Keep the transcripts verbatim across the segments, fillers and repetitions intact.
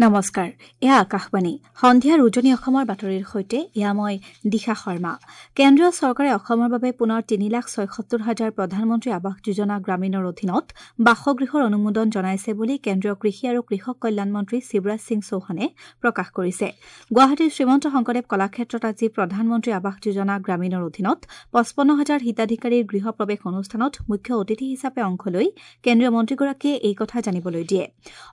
নমস্কাৰ, এয়া আকাশবাণী। সন্ধিয়াৰ উজনি অসমৰ বাতৰিৰ সৈতে এয়া মই দিশা শৰ্মা। কেন্দ্ৰীয় চৰকাৰে অসমৰ বাবে পুনৰ তিনি লাখ ছয়সত্তৰ হাজাৰ প্ৰধানমন্ত্ৰী আৱাস যোজনা গ্ৰামীণৰ অধীনত বাসগৃহৰ অনুমোদন জনাইছে বুলি কেন্দ্ৰীয় কৃষি আৰু কৃষক কল্যাণ মন্ত্ৰী শিৱৰাজ সিং চৌহানে প্ৰকাশ কৰিছে। গুৱাহাটীৰ শ্ৰীমন্ত শংকৰদেৱ কলাক্ষেত্ৰত আজি প্ৰধানমন্ত্ৰী আৱাস যোজনা গ্ৰামীণৰ অধীনত পঁচপন্ন হাজাৰ হিতাধিকাৰীৰ গৃহ প্ৰৱেশ অনুষ্ঠানত মুখ্য অতিথি হিচাপে অংশ লৈ কেন্দ্ৰীয় মন্ত্ৰীগৰাকীয়ে এই কথা জানিবলৈ দিয়ে।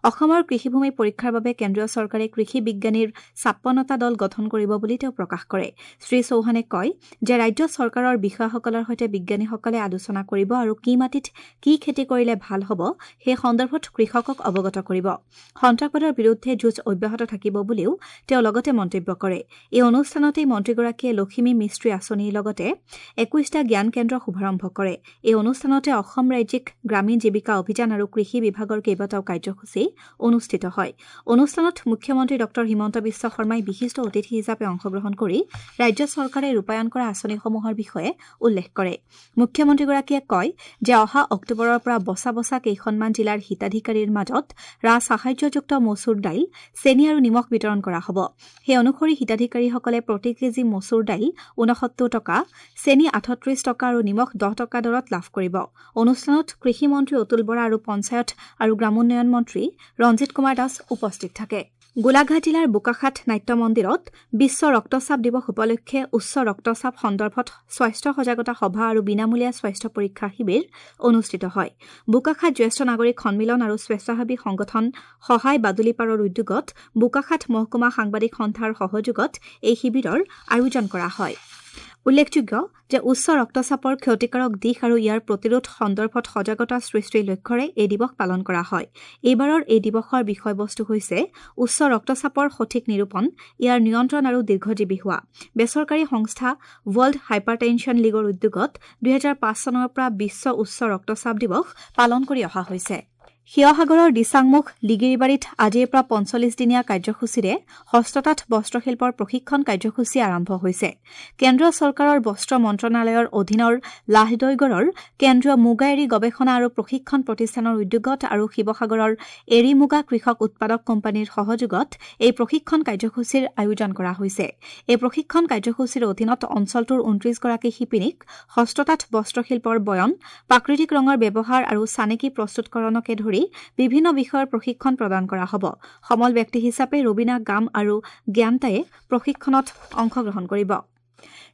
অসমৰ কৃষিভূমি পৰীক্ষাৰ বাবে কেন্দ্ৰীয় চৰকাৰে কৃষি বিজ্ঞানীৰ ছাপন্নটা দল গঠন কৰিব বুলি তেওঁ প্ৰকাশ কৰে। শ্ৰী চৌহানে কয় যে ৰাজ্য চৰকাৰৰ বিষয়াসকলৰ সৈতে বিজ্ঞানীসকলে আলোচনা কৰিব আৰু কি মাটিত কি খেতি কৰিলে ভাল হ'ব সেই সন্দৰ্ভত কৃষকক অৱগত কৰিব। সন্ত্ৰাসবাদৰ বিৰুদ্ধে যুঁজ অব্যাহত থাকিব বুলিও তেওঁ লগতে মন্তব্য কৰে। এই অনুষ্ঠানতেই মন্ত্ৰীগৰাকীয়ে লখিমী মিস্ত্ৰী আঁচনিৰ লগতে একৈশটা জ্ঞান কেন্দ্ৰ শুভাৰম্ভ কৰে। এই অনুষ্ঠানতে অসম ৰাজ্যিক গ্ৰামীণ জীৱিকা অভিযান আৰু কৃষি বিভাগৰ কেইবাটাও কাৰ্যসূচী অনুষ্ঠিত হয়। অনুষ্ঠানত মুখ্যমন্ত্ৰী ডঃ হিমন্ত বিশ্ব শৰ্মাই বিশিষ্ট অতিথি হিচাপে অংশগ্ৰহণ কৰি ৰাজ্য চৰকাৰে ৰূপায়ণ কৰা আঁচনিসমূহৰ বিষয়ে উল্লেখ কৰে। মুখ্যমন্ত্ৰীগৰাকীয়ে কয় যে অহা অক্টোবৰৰ পৰা বচা বচা কেইখনমান জিলাৰ হিতাধিকাৰীৰ মাজত ৰাজসাহায্যযুক্ত মচুৰ দাইল, চেনী আৰু নিমখ বিতৰণ কৰা হ'ব। সেই অনুসৰি হিতাধিকাৰীসকলে প্ৰতি কেজি মচুৰ দাইল ঊনসত্তৰ টকা, চেনী আঠত্ৰিশ টকা আৰু নিমখ দহ টকা দৰত লাভ কৰিব। অনুষ্ঠানত কৃষিমন্ত্ৰী অতুল বৰা আৰু পঞ্চায়ত আৰু গ্ৰামোন্নয়ন মন্ত্ৰী ৰঞ্জিত কুমাৰ দাস উপস্থিত থাকে। গোলাঘাট জিলাৰ বোকাখাত নাট্য মন্দিৰত বিশ্ব ৰক্তচাপ দিৱস উপলক্ষে উচ্চ ৰক্তচাপ সন্দৰ্ভত স্বাস্থ্য সজাগতা সভা আৰু বিনামূলীয়া স্বাস্থ্য পৰীক্ষা শিবিৰ অনুষ্ঠিত হয়। বোকাখাত জ্যেষ্ঠ নাগৰিক সন্মিলন আৰু স্বেচ্ছাসেৱী সংগঠন সহায় বাদুলিপাৰৰ উদ্যোগত বোকাখাত মহকুমা সাংবাদিক সন্থাৰ সহযোগত এই শিবিৰৰ আয়োজন কৰা হয়। উল্লেখযোগ্য যে উচ্চ ৰক্তচাপৰ ক্ষতিকাৰক দিশ আৰু ইয়াৰ প্ৰতিৰোধ সন্দৰ্ভত সজাগতা সৃষ্টিৰ লক্ষ্যৰে এই দিৱস পালন কৰা হয়। এইবাৰৰ এই দিৱসৰ বিষয়বস্তু হৈছে উচ্চ ৰক্তচাপৰ সঠিক নিৰূপণ, ইয়াৰ নিয়ন্ত্ৰণ আৰু দীৰ্ঘজীৱী হোৱা। বেচৰকাৰী সংস্থা ৱৰ্ল্ড হাইপাৰটেনশ্যন লীগৰ উদ্যোগত দুহেজাৰ পাঁচ চনৰ পৰা বিশ্ব উচ্চ ৰক্তচাপ দিৱস পালন কৰি অহা হৈছে। শিৱসাগৰৰ দিচাংমুখ লিগিৰীবাৰীত আজিৰ পৰা পঞ্চল্লিছ দিনীয়া কাৰ্যসূচীৰে হস্ততাঁত বস্ত্ৰশিল্পৰ প্ৰশিক্ষণ কাৰ্যসূচী আৰম্ভ হৈছে। কেন্দ্ৰীয় চৰকাৰৰ বস্ত্ৰ মন্ত্ৰণালয়ৰ অধীনৰ লাহদৈগড়ৰ কেন্দ্ৰীয় মুগা এৰী গৱেষণা আৰু প্ৰশিক্ষণ প্ৰতিষ্ঠানৰ উদ্যোগত আৰু শিৱসাগৰৰ এৰী মুগা কৃষক উৎপাদক কোম্পানীৰ সহযোগত এই প্ৰশিক্ষণ কাৰ্যসূচীৰ আয়োজন কৰা হৈছে। এই প্ৰশিক্ষণ কাৰ্যসূচীৰ অধীনত অঞ্চলটোৰ ঊনত্ৰিশগৰাকী শিপিনীক হস্ততাঁত বস্ত্ৰশিল্পৰ বয়ন, প্ৰাকৃতিক ৰঙৰ ব্যৱহাৰ আৰু চানেকি প্ৰস্তুতকৰণকে ধৰি বিভিন্ন বিষয়ৰ প্ৰশিক্ষণ প্ৰদান কৰা হ'ব। সমল ব্যক্তি হিচাপে ৰবীনা গাম আৰু জ্ঞানতায়ে প্ৰশিক্ষণত অংশগ্ৰহণ কৰিব।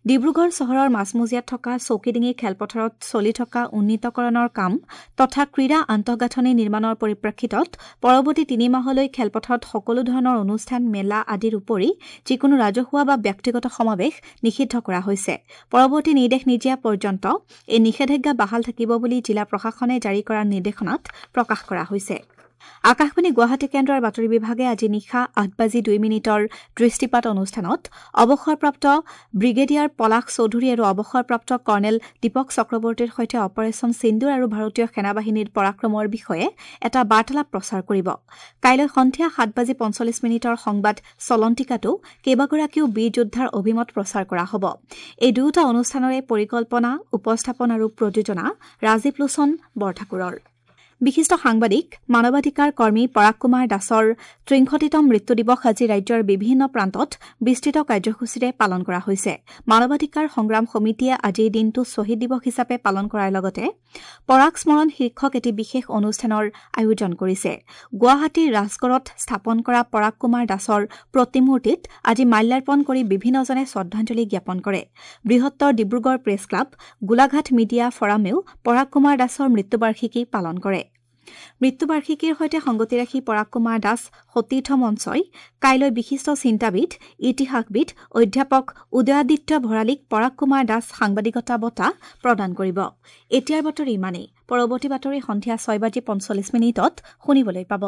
ডিব্ৰুগড় চহৰৰ মাজমজিয়াত থকা চৌকিডিঙি খেলপথাৰত চলি থকা উন্নীতকৰণৰ কাম তথা ক্ৰীড়া আন্তঃগাঁথনি নিৰ্মাণৰ পৰিপ্ৰেক্ষিতত পৰৱৰ্তী তিনি মাহলৈ খেলপথাৰত সকলো ধৰণৰ অনুষ্ঠান, মেলা আদিৰ উপৰি যিকোনো ৰাজহুৱা বা ব্যক্তিগত সমাৱেশ নিষিদ্ধ কৰা হৈছে। পৰৱৰ্তী নিৰ্দেশ নিদিয়া পৰ্যন্ত এই নিষেধাজ্ঞা বাহাল থাকিব বুলি জিলা প্ৰশাসনে জাৰি কৰা নিৰ্দেশনাত প্ৰকাশ কৰা হৈছে। আকাশবাণী গুৱাহাটী কেন্দ্ৰৰ বাতৰি বিভাগে আজি নিশা আঠ বাজি দুই মিনিটৰ দৃষ্টিপাত অনুষ্ঠানত অৱসৰপ্ৰাপ্ত ব্ৰিগেডিয়াৰ পলাশ চৌধুৰী আৰু অৱসৰপ্ৰাপ্ত কৰ্ণেল দীপক চক্ৰৱৰ্তীৰ সৈতে অপাৰেচন সিন্দুৰ আৰু ভাৰতীয় সেনাবাহিনীৰ পৰাক্ৰমৰ বিষয়ে এটা বাৰ্তালাপ প্ৰচাৰ কৰিব। কাইলৈ সন্ধিয়া সাত বাজি পঞ্চল্লিছ মিনিটৰ সংবাদ চলন্তিকাতো কেইবাগৰাকীও বীৰ যোদ্ধাৰ অভিমত প্ৰচাৰ কৰা হ'ব। এই দুয়োটা অনুষ্ঠানৰে পৰিকল্পনা, উপস্থাপন আৰু প্ৰযোজনা ৰাজীৱ লোচন বৰঠাকুৰৰ। বিশিষ্ট সাংবাদিক, মানৱাধিকাৰ কৰ্মী পৰাগ কুমাৰ দাসৰ ত্ৰিংশতিতম মৃত্যু দিৱস আজি ৰাজ্যৰ বিভিন্ন প্ৰান্তত বিস্তৃত কাৰ্যসূচীৰে পালন কৰা হৈছে। মানৱাধিকাৰ সংগ্ৰাম সমিতিয়ে আজিৰ দিনটো শ্বহীদ দিৱস হিচাপে পালন কৰাৰ লগতে পৰাগ স্মৰণ শীৰ্ষক এটি বিশেষ অনুষ্ঠানৰ আয়োজন কৰিছে। গুৱাহাটীৰ ৰাজগড়ত স্থাপন কৰা পৰাগ কুমাৰ দাসৰ প্ৰতিমূৰ্তিত আজি মাল্যাৰ্পণ কৰি বিভিন্নজনে শ্ৰদ্ধাঞ্জলি জ্ঞাপন কৰে। বৃহত্তৰ Dibrugarh press club, Golaghat media ফৰামেও Parag Kumar দাসৰ মৃত্যুবাৰ্ষিকী পালন কৰে। মৃত্যুবাৰ্ষিকীৰ সৈতে সংগতি ৰাখি পৰাগ কুমাৰ দাস সতীৰ্থ মঞ্চই কাইলৈ বিশিষ্ট চিন্তাবিদ, ইতিহাসবিদ অধ্যাপক উদয়াদিত্য ভৰালীক পৰাগ কুমাৰ দাস সাংবাদিকতা বঁটা প্ৰদান কৰিব। এতিয়াৰ বাতৰি ইমানেই। পৰৱৰ্তী বাতৰি সন্ধিয়া ছয় বাজি পঞ্চল্লিছ মিনিটত শুনিবলৈ পাব।